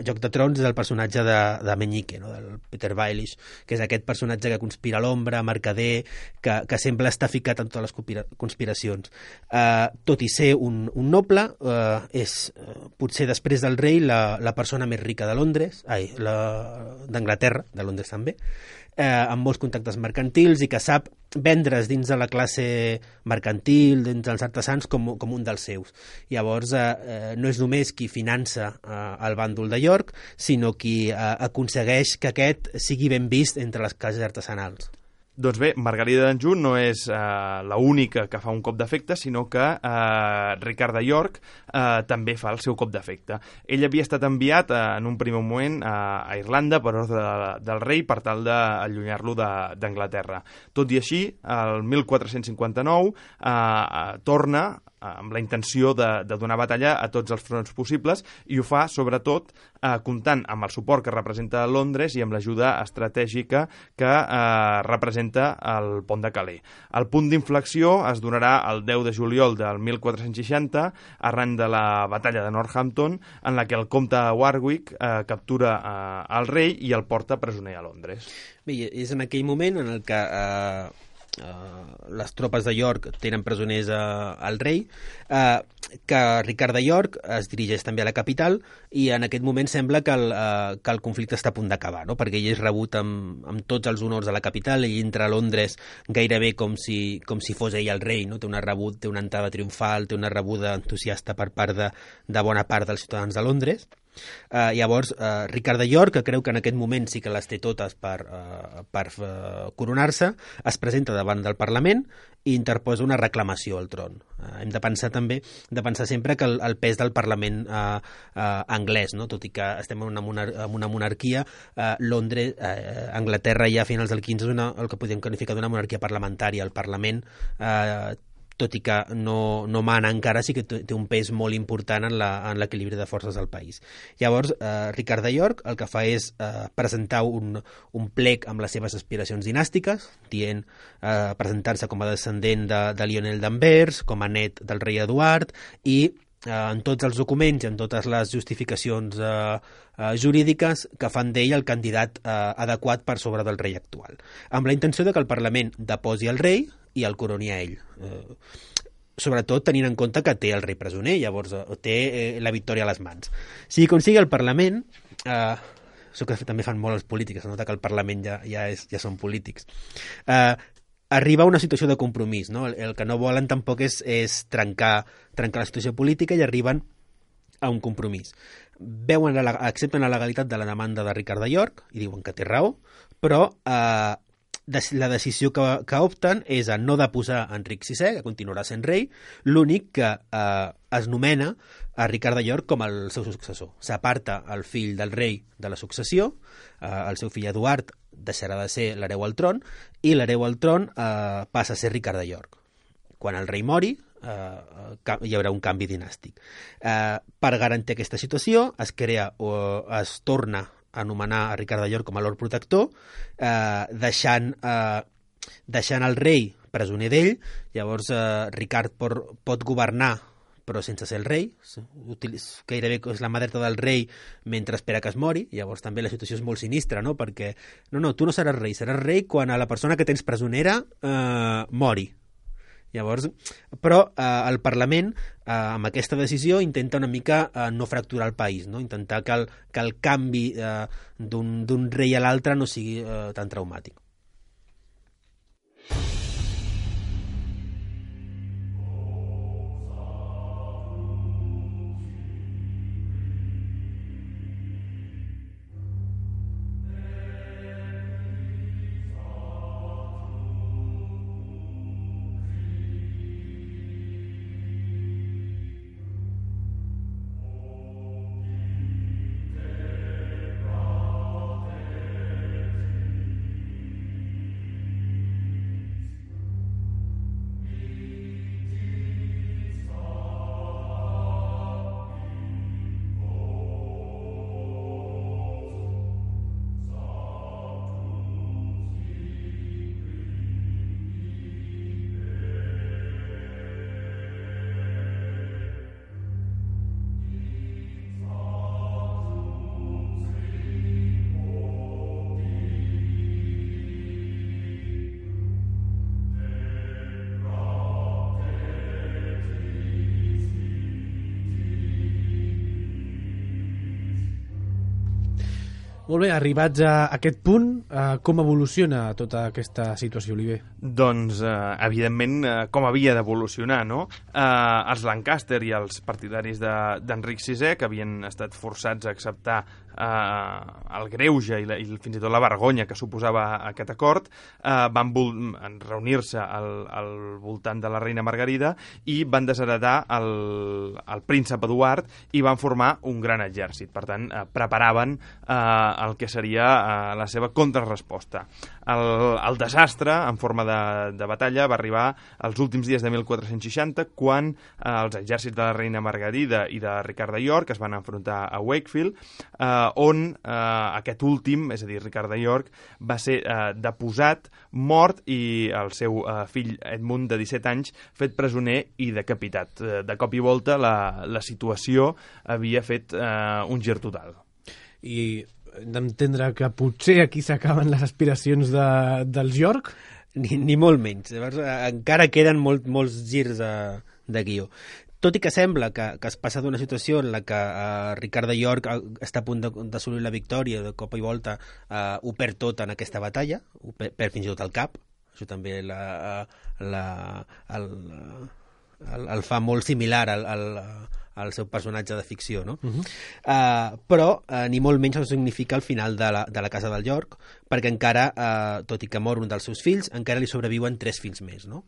Joc de Trons és el personatge de Meñique, no? Del Peter Baelish, que és aquest personatge que conspira a l'ombra, mercader, que sempre està ficat en totes les conspiracions. Tot i ser un noble, és potser després del rei la persona més rica de Londres, d'Anglaterra, de Londres també, amb molts contactes mercantils i que sap vendre's dins de la classe mercantil, dins dels artesans, com un dels seus. Llavors, no és només qui finança el bàndol de York, sinó qui aconsegueix que aquest sigui ben vist entre les classes artesanals. Doncs bé, Margarida d'Anjou no és l'única que fa un cop d'efecte, sinó que Ricard de York també fa el seu cop d'efecte. Ell havia estat enviat en un primer moment a Irlanda per ordre del rei per tal d'allunyar-lo d'Anglaterra. Tot i així, el 1459 torna amb la intenció de donar batalla a tots els fronts possibles, i ho fa sobretot comptant amb el suport que representa Londres i amb l'ajuda estratègica que representa el pont de Calais. El punt d'inflexió es donarà el 10 de juliol del 1460 arran de la batalla de Northampton, en la que el comte Warwick captura el rei i el porta presoner a Londres. Bé, és en aquell moment en el que les tropes de York tenen presoners al rei, que Ricard de York es dirigeix també a la capital, i en aquest moment sembla que el conflicte està a punt d'acabar, no? Perquè ell és rebut amb tots els honors a la capital, ell entra a Londres gairebé com si fos ell el rei, no? Té una entrada triomfal, té una rebuda entusiasta per part de bona part dels ciutadans de Londres. Llavors Ricard de York, que creu que en aquest moment sí que les té totes per coronar-se, es presenta davant del Parlament i interposa una reclamació al tron. Hem de pensar sempre que el pes del Parlament anglès, no? Tot i que estem en una monarquia, Londres, Anglaterra ja a finals del XV és el que podríem qualificar d'una monarquia parlamentària. El Parlament tot i que no mana encara, sí que té un pes molt important en l'equilibri de forces del país. Llavors, Ricard de York el que fa és presentar un plec amb les seves aspiracions dinàstiques, dient presentar-se com a descendent de Lionel d'Anvers, com a net del rei Eduard, i en tots els documents i en totes les justificacions jurídiques que fan d'ell el candidat adequat per sobre del rei actual, amb la intenció de que el Parlament deposi el rei i el coroni a ell, sobretot tenint en compte que té el rei presoner, llavors té la victòria a les mans. Sigui com sigui, el Parlament, això que també fan molt els polítics, es nota que el Parlament ja són polítics, arriba a una situació de compromís, no? El que no volen tampoc és trencar la situació política, i arriben a un compromís. Accepten la legalitat de la demanda de Ricard de York i diuen que té raó, però la decisió que opten és a no deposar Enric VI, que continuarà sent rei, l'únic que es nomena a Ricard de York com el seu successor. S'aparta el fill del rei de la successió, el seu fill Eduard deixarà de ser l'hereu al tron, i l'hereu al tron passa a ser Ricard de York. Quan el rei mori, hi haurà un canvi dinàstic. Per garantir aquesta situació, es torna a anomenar a Ricard de York com a lord protector, deixant el rei presoner d'ell. Llavors Ricard pot governar però sense ser el rei, gairebé és la mà dreta del rei mentre espera que es mori. Llavors també la situació és molt sinistra, no? Perquè tu no seràs rei quan a la persona que tens presonera mori. Llavors, però el Parlament, amb aquesta decisió, intenta una mica no fracturar el país, no? Intentar que el canvi d'un rei a l'altre no sigui tan traumàtic. Molt bé, arribats a aquest punt, com evoluciona tota aquesta situació, Oliver? Doncs, evidentment, com havia d'evolucionar, no? Els Lancaster i els partidaris d'Enric VI, que havien estat forçats a acceptar el greuge i fins i tot la vergonya que suposava aquest acord, van reunir-se al voltant de la reina Margarida i van desheretar el príncep Eduard i van formar un gran exèrcit. Per tant, preparaven el que seria la seva contrarresposta. El desastre en forma de batalla va arribar als últims dies de 1460, quan els exèrcits de la reina Margarida i de Ricard de York es van enfrontar a Wakefield, on aquest últim, és a dir, Ricard de York, va ser deposat, mort, i el seu fill Edmund, de 17 anys, fet presoner i decapitat. De cop i volta la situació havia fet un gir total. I hem d'entendre que potser aquí s'acaben les aspiracions dels York? Ni molt menys. Llavors, encara queden molts girs de guió. Tot i que sembla que es passa d'una situació en la que Ricard de York està a punt d'assolir la victòria, de cop i volta ho perd tot en aquesta batalla, ho perd fins i tot el cap. Això també el fa molt similar al seu personatge de ficció, no? Però ni molt menys no significa el final de la casa del York, perquè encara, tot i que mor un dels seus fills, encara li sobreviuen 3 fills més, no?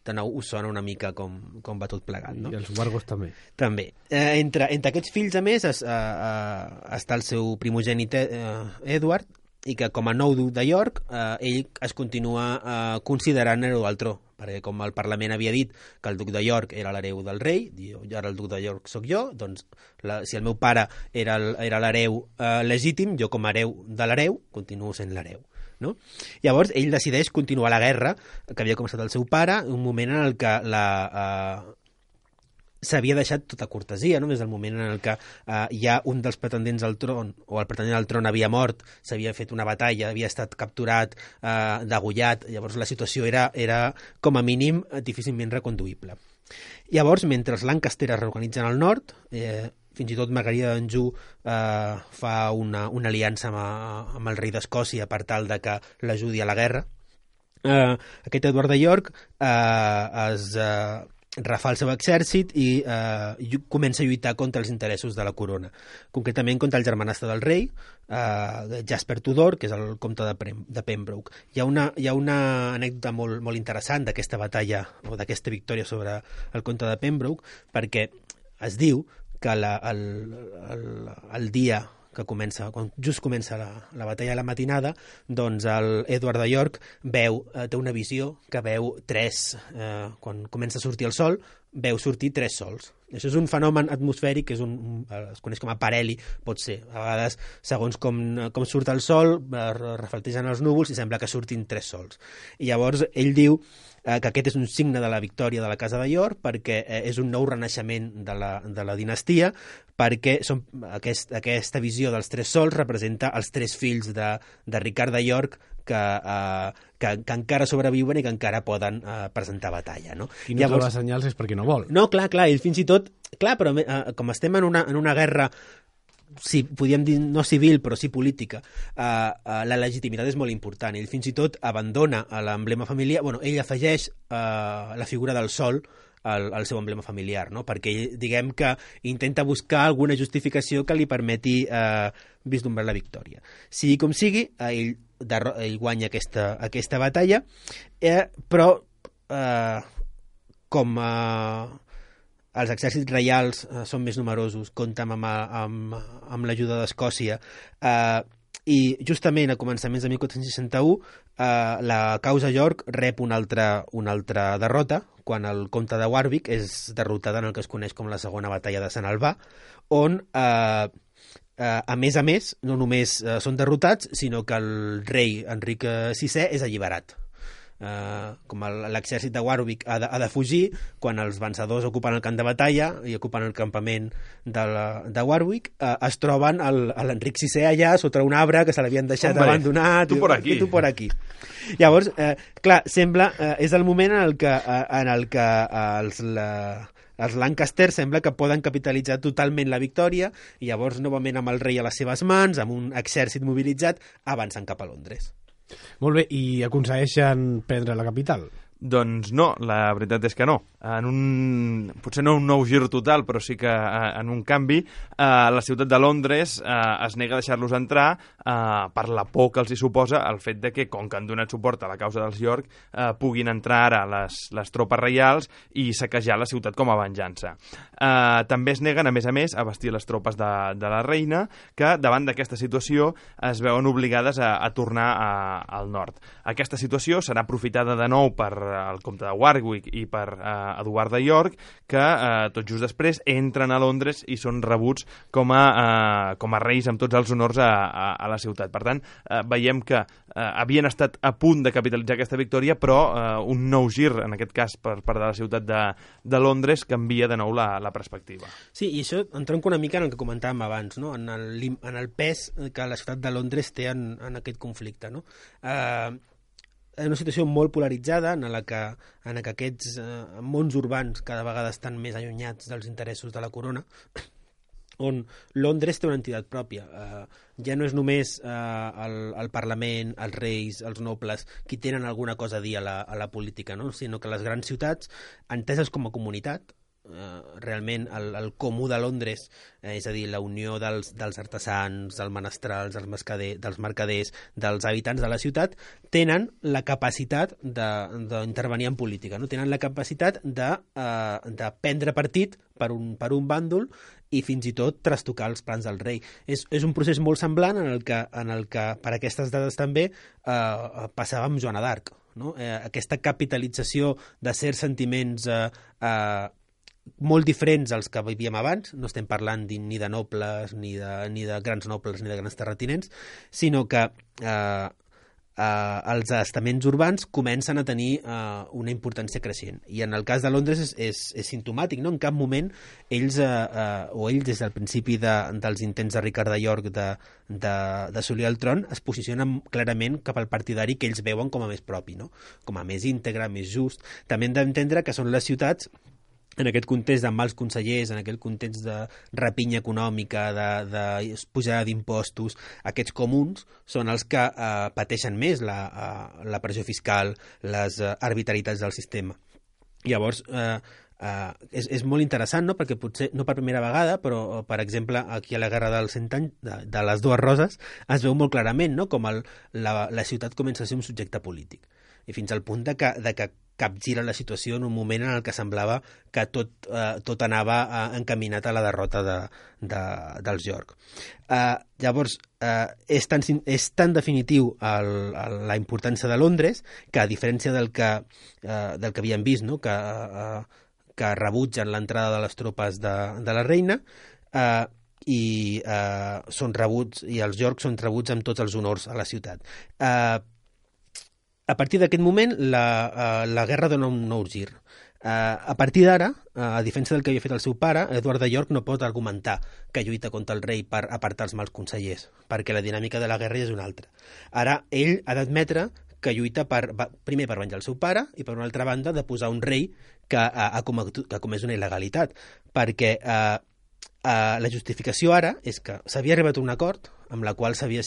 De nou us sona una mica com va tot plegat, no? I els Wargos també. També. Entre aquests fills, a més, està el seu primogènit Edward, i que com a nou duc de York ell es continua considerant hereu al tro, perquè com el Parlament havia dit que el duc de York era l'hereu del rei, diu, ara el duc de York sóc jo, doncs si el meu pare era l'hereu legítim, jo com a hereu de l'hereu continuo sent l'hereu. No? Llavors ell decideix continuar la guerra que havia començat el seu pare, un moment en el que s'havia deixat tota cortesia, no? Des del moment en el que ja un dels pretendents al tron, o el pretendent al tron havia mort, s'havia fet una batalla, havia estat capturat, degollat, llavors la situació era com a mínim difícilment reconduïble. Llavors, mentre els Lancaster es reorganitzen al nord, fins i tot Margarida d'Anjou fa una aliança amb el rei d'Escòcia per tal de que l'ajudi a la guerra. Aquest Eduard de York refà el seu exèrcit i comença a lluitar contra els interessos de la corona, concretament contra el germanastre del rei, Jasper Tudor, que és el comte de Pembroke. Hi ha una anècdota molt interessant d'aquesta batalla o d'aquesta victòria sobre el comte de Pembroke, perquè es diu que el dia que comença, quan just comença la batalla a la matinada, doncs el Edward de York té una visió que veu quan comença a sortir el sol, veu sortir 3 sols. Això és un fenomen atmosfèric que es coneix com a parheli, pot ser. A vegades, segons com surt el sol, reflecteixen els núvols i sembla que surtin 3 sols. I llavors ell diu que aquest és un signe de la victòria de la Casa de York, perquè és un nou renaixement de la dinastia, perquè aquesta visió dels 3 sols representa els 3 fills de Ricard de York que encara sobreviuen i que encara poden presentar batalla. No? I no troba senyals és perquè no vol. No, clar, ell fins i tot... Clar, però com estem en una guerra, podríem dir no civil, però sí política, la legitimitat és molt important. Ell fins i tot abandona l'emblema familiar, ell afegeix la figura del sol al seu emblema familiar, no? Perquè diguem que intenta buscar alguna justificació que li permeti vislumbrar la victòria. Sigui com sigui, ell guanya aquesta batalla, però com els exèrcits reials són més numerosos, compten amb l'ajuda d'Escòcia, i justament a començaments de 1461 la causa York rep una altra derrota quan el comte de Warwick és derrotada en el que es coneix com la segona batalla de Sant Albà, on a més, no només són derrotats, sinó que el rei Enric VI és alliberat. Com l'exèrcit de Warwick ha de fugir, quan els vencedors ocupen el camp de batalla i ocupen el campament de Warwick, es troben l'Enric VI allà sota un arbre que se l'havien deixat abandonat. Tu por aquí. Llavors, clar, sembla, és el moment en el que els Lancaster sembla que poden capitalitzar totalment la victòria i llavors novament amb el rei a les seves mans, amb un exèrcit mobilitzat, avancen cap a Londres. Molt bé, i aconsegueixen prendre la capital? Doncs no, la veritat és que no. Potser no un nou gir total, però sí que en un canvi, la ciutat de Londres es nega a deixar-los entrar per la por que els hi suposa el fet de que, com que han donat suport a la causa dels York, puguin entrar ara les tropes reials i saquejar la ciutat com a venjança. També es neguen, a més, a vestir les tropes de la reina, que davant d'aquesta situació es veuen obligades a tornar al nord. Aquesta situació serà aprofitada de nou per el comte de Warwick i per Eduard de York, que tot just després entren a Londres i són rebuts com a reis amb tots els honors a la ciutat. Per tant, veiem que havien estat a punt de capitalitzar aquesta victòria, però un nou gir, en aquest cas per part de la ciutat de Londres, canvia de nou la perspectiva. Sí, i això entronca una mica en el que comentàvem abans, no? en el pes que la ciutat de Londres té en aquest conflicte, no? En una situació molt polaritzada en la que aquests mons urbans cada vegada estan més allunyats dels interessos de la corona, on Londres té una entitat pròpia. Ja no és només el Parlament, els reis, els nobles, qui tenen alguna cosa a dir a la política, no? Sinó que les grans ciutats, enteses com a comunitat, realment el comú de Londres, és a dir, la unió dels artesans, dels menestrals, dels mercaders, dels habitants de la ciutat, tenen la capacitat d'intervenir en política, no? Tenen la capacitat de prendre partit per un bàndol i fins i tot trastocar els plans del rei. És un procés molt semblant en el que per aquestes dades també passava amb Joana d'Arc. no? Aquesta capitalització de certs sentiments molt diferents als que vivíem abans. No estem parlant ni de nobles, ni de grans nobles, ni de grans terratinents, sinó que els estaments urbans comencen a tenir una importància creixent. I en el cas de Londres és simptomàtic, no? En cap moment ells des del principi dels intents de Ricard de York d'assolir el tron, es posicionen clarament cap al partidari que ells veuen com a més propi, no? Com a més íntegre, més just. També hem d'entendre que són les ciutats, en aquest context de mals consellers, en aquest context de rapinya econòmica, de pujada d'impostos, aquests comuns són els que pateixen més la pressió fiscal, les arbitrarietats del sistema. Llavors, és molt interessant, no? Perquè potser no per primera vegada, però per exemple aquí a la Guerra dels 100 anys de les dues roses es veu molt clarament, no? Com la ciutat comença a ser un subjecte polític, i fins al punt de que capgira la situació en un moment en el que semblava que tot anava encaminat a la derrota dels York. Llavors, és tan definitiu la importància de Londres que, a diferència del que havíem vist, no? Que rebutgen l'entrada de les tropes de la reina, són rebuts, i els York són rebuts amb tots els honors a la ciutat. A partir d'aquest moment, la guerra dona un nou gir. A partir d'ara, a diferència del que havia fet el seu pare, Eduard de York no pot argumentar que lluita contra el rei per apartar els mals consellers, perquè la dinàmica de la guerra és una altra. Ara, ell ha d'admetre que lluita primer per venjar el seu pare i, per una altra banda, de posar un rei que ha comès una il·legalitat, perquè la justificació ara és que s'havia arribat a un acord amb la qual s'havia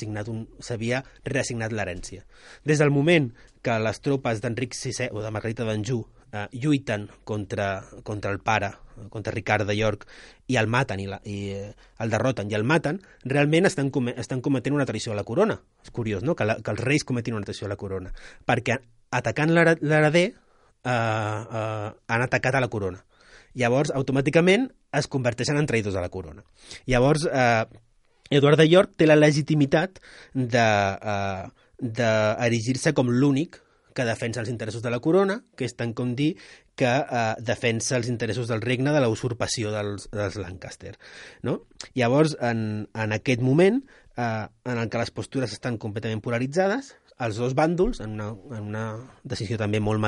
reassignat l'herència. Des del moment que les tropes d'Enric VI o de Margarita d'Anjou lluiten contra el pare, contra Ricard de York, i el maten, i el derroten i el maten, realment estan cometent una traïció a la corona. És curiós, no?, que els reis cometin una traïció a la corona, perquè atacant l'hereder han atacat a la corona. Llavors, automàticament, es converteixen en traïdors a la corona. Llavors, Eduard de York té la legitimitat d'erigir-se com l'únic que defensa els interessos de la corona, que és tant com dir que defensa els interessos del regne de la usurpació dels Lancaster, no? Llavors, en aquest moment, en el que les postures estan completament polaritzades, els dos bàndols, en una decisió també molt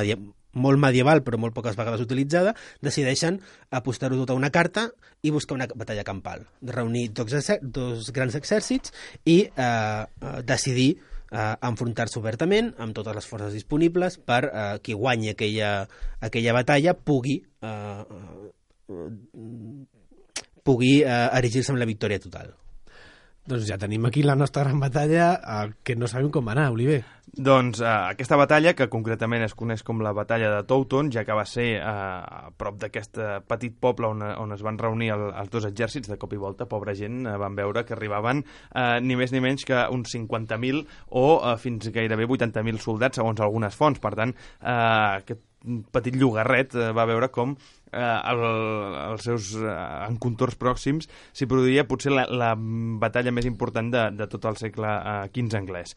medieval, però molt poques vegades utilitzada, decideixen apostar-ho tot a una carta i buscar una batalla campal, reunir dos grans exèrcits i decidir enfrontar-se obertament amb totes les forces disponibles per qui guanyi aquella batalla pugui erigir-se amb la victòria total. Doncs ja tenim aquí la nostra gran batalla, que no sabem com va anar, Oliver. Doncs aquesta batalla, que concretament es coneix com la batalla de Towton, ja que va ser a prop d'aquest petit poble on es van reunir els dos exèrcits, de cop i volta, pobra gent, van veure que arribaven ni més ni menys que uns 50.000 o fins gairebé 80.000 soldats, segons algunes fonts. Per tant, aquest petit llogarret va veure com als seus encontorns pròxims s'hi produïa potser la batalla més important de tot el segle XV anglès.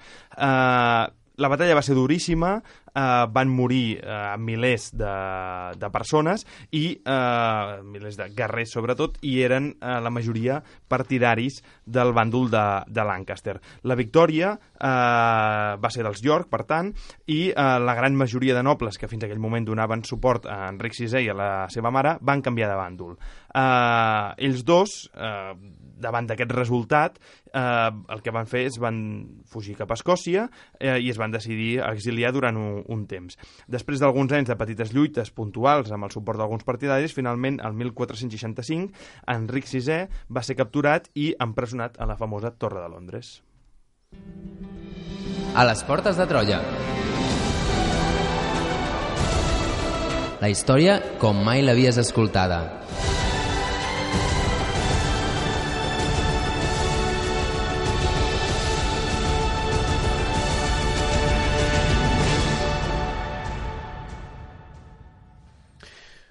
La batalla va ser duríssima, van morir milers de persones i milers de guerrers sobretot, i eren la majoria partidaris del bàndol de Lancaster. La victòria va ser dels York, per tant, i la gran majoria de nobles que fins a aquell moment donaven suport a Enric VI i a la seva mare van canviar de bàndol. Ells dos, davant d'aquest resultat, el que van fer és van fugir cap a Escòcia i es van decidir a exiliar durant un temps. Després d'alguns anys de petites lluites puntuals amb el suport d'alguns partidaris, finalment, el 1465, Enric VI va ser capturat i empresonat a la famosa Torre de Londres. A les portes de Troia. La història com mai l'havies escoltada.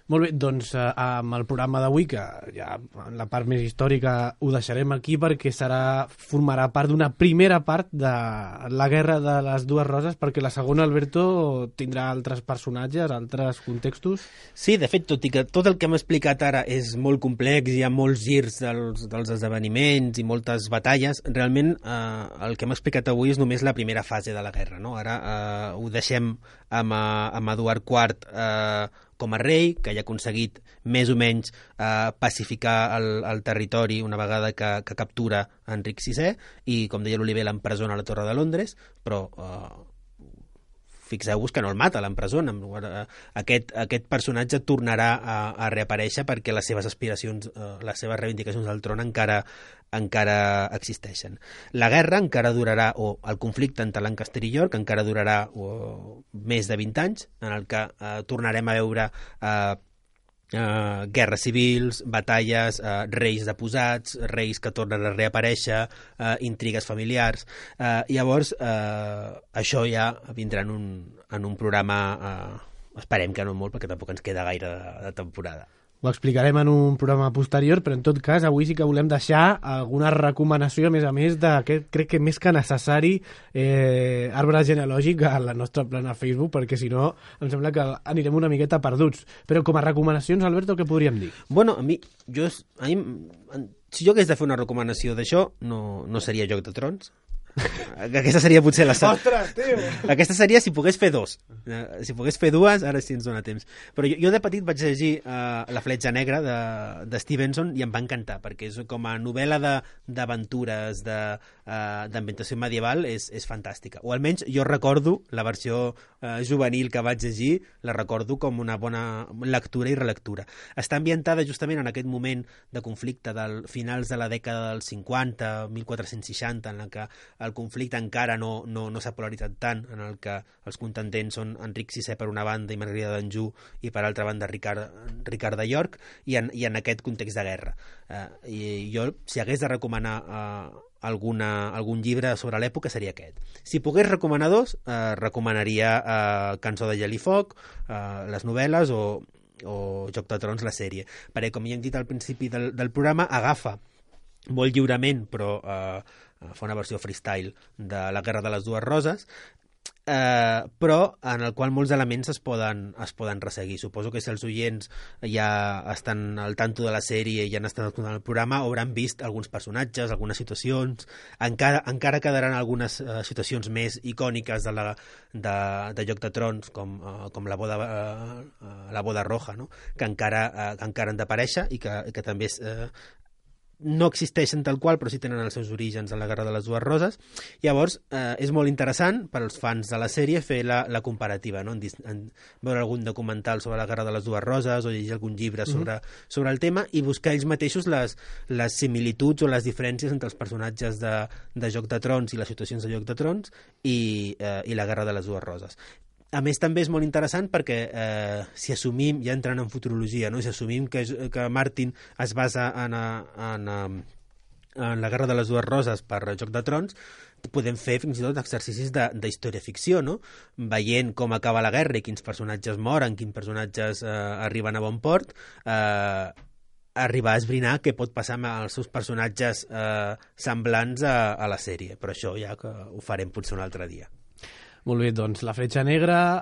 Molt bé, doncs amb el programa d'avui, que ja en la part més històrica ho deixarem aquí perquè formarà part d'una primera part de la Guerra de les Dues Roses, perquè la segona, Alberto, tindrà altres personatges, altres contextos. Sí, de fet, tot i que tot el que hem explicat ara és molt complex, hi ha molts girs dels esdeveniments i moltes batalles, realment el que hem explicat avui és només la primera fase de la guerra, no? Ara ho deixem amb Eduard IV com a rei, que ja ha aconseguit més o menys pacificar el territori una vegada que captura Enric VI i, com deia l'Oliver, l'empresona a la Torre de Londres, però fixeu-vos que no el mata, l'empresona. Aquest personatge tornarà a reaparèixer perquè les seves aspiracions, les seves reivindicacions al tron encara existeixen. La guerra encara durarà, o el conflicte entre Lancaster i York encara durarà més de 20 anys, en el que tornarem a veure guerres civils, batalles, reis deposats, reis que tornen a reaparèixer, intrigues familiars. Llavors, això ja vindrà en un programa, esperem que no molt, perquè tampoc ens queda gaire de temporada. Ho explicarem en un programa posterior, però en tot cas avui sí que volem deixar alguna recomanació, a més d'aquest, crec que més que necessari, arbre genealògic a la nostra plana Facebook, perquè si no em sembla que anirem una miqueta perduts. Però com a recomanacions, Alberto, què podríem dir? Bueno, si jo hagués de fer una recomanació d'això, no seria Joc de Trons. Aquesta seria potser la... Ostres, tio! Aquesta seria si pogués fer dos. Si pogués fer dues, ara sí ens dona temps. Però jo de petit vaig llegir La fletxa negra de Stevenson i em va encantar, perquè és com a novel·la d'aventures, d'ambientació medieval, és fantàstica. O almenys jo recordo la versió juvenil que vaig llegir, la recordo com una bona lectura i relectura. Està ambientada justament en aquest moment de conflicte del finals de la dècada dels 50, 1460, en la que el conflicte encara no s'ha polaritzat tant, en el que els contendents són Enric VI per una banda i Margarida d'Anjou i per altra banda Ricard de York, i en aquest context de guerra. I jo, si hagués de recomanar algun llibre sobre l'època, seria aquest. Si pogués recomanar dos, recomanaria Cançó de gel i foc, les novel·les, o Joc de Trons, la sèrie, perquè, com ja hem dit al principi del programa, agafa molt lliurement, però fa una versió freestyle de la Guerra de les Dues Roses, però en el qual molts elements es poden resseguir. Suposo que si els oients ja estan al tanto de la sèrie i ja han estat escoltant el programa, hauran vist alguns personatges, algunes situacions, encara quedaran algunes situacions més icòniques de Joc de Trons, com la boda roja, no? que encara han d'aparèixer i que també no existeixen tal qual, però sí tenen els seus orígens en la Guerra de les Dues Roses. Llavors, és molt interessant per als fans de la sèrie fer la comparativa, no? Veure algun documental sobre la Guerra de les Dues Roses o llegir algun llibre sobre el tema i buscar ells mateixos les similituds o les diferències entre els personatges de Joc de Trons i les situacions de Joc de Trons i la Guerra de les Dues Roses. A més, també és molt interessant perquè si assumim, ja entrant en futurologia, no? Si assumim que Martin es basa en la Guerra de les Dues Roses per Joc de Trons, podem fer fins i tot exercicis d'història-ficció, no? Veient com acaba la guerra i quins personatges moren, quins personatges arriben a bon port, arribar a esbrinar què pot passar amb els seus personatges semblants a la sèrie. Però això ja que ho farem potser un altre dia. Molt bé, doncs La fletxa negra,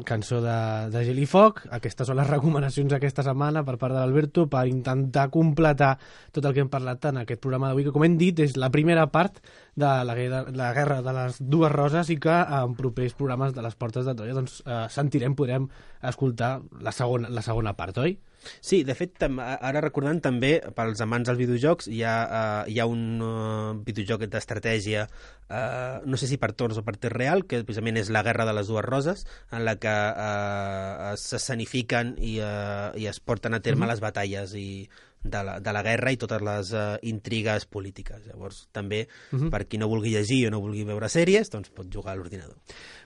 Cançó de gel i foc, aquestes són les recomanacions aquesta setmana per part de l'Alberto per intentar completar tot el que hem parlat en aquest programa d'avui, que com hem dit és la primera part de la Guerra de les Dues Roses i que en propers programes de les Portes de Troia doncs, podrem escoltar la segona part, oi? Sí, de fet, ara recordant també, pels amants dels videojocs, hi ha un videojoc d'estratègia, no sé si per torns o per temps real, que precisament és la Guerra de les Dues Roses, en la que s'escenifiquen i es porten a terme les batalles de la guerra i totes les intrigues polítiques. Llavors, també, per qui no vulgui llegir o no vulgui veure sèries, doncs pot jugar a l'ordinador.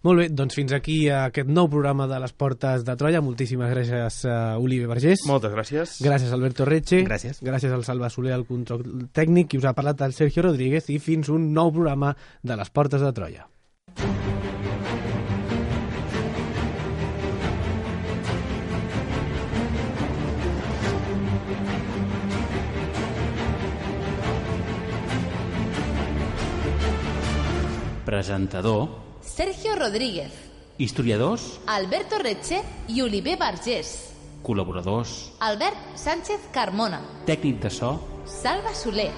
Molt bé, doncs fins aquí aquest nou programa de les Portes de Troia. Moltíssimes gràcies, Oliver Vergés. Moltes gràcies. Gràcies, Alberto Reche. Gràcies. Gràcies al Salva Soler, al control tècnic, i us ha parlat el Sergio Rodríguez, i fins un nou programa de les Portes de Troia. Presentador: Sergio Rodríguez. Historiadors: Alberto Retxe i Oliver Vergés. Col·laboradors: Albert Sánchez Carmona. Tècnic de so: Salva Soler.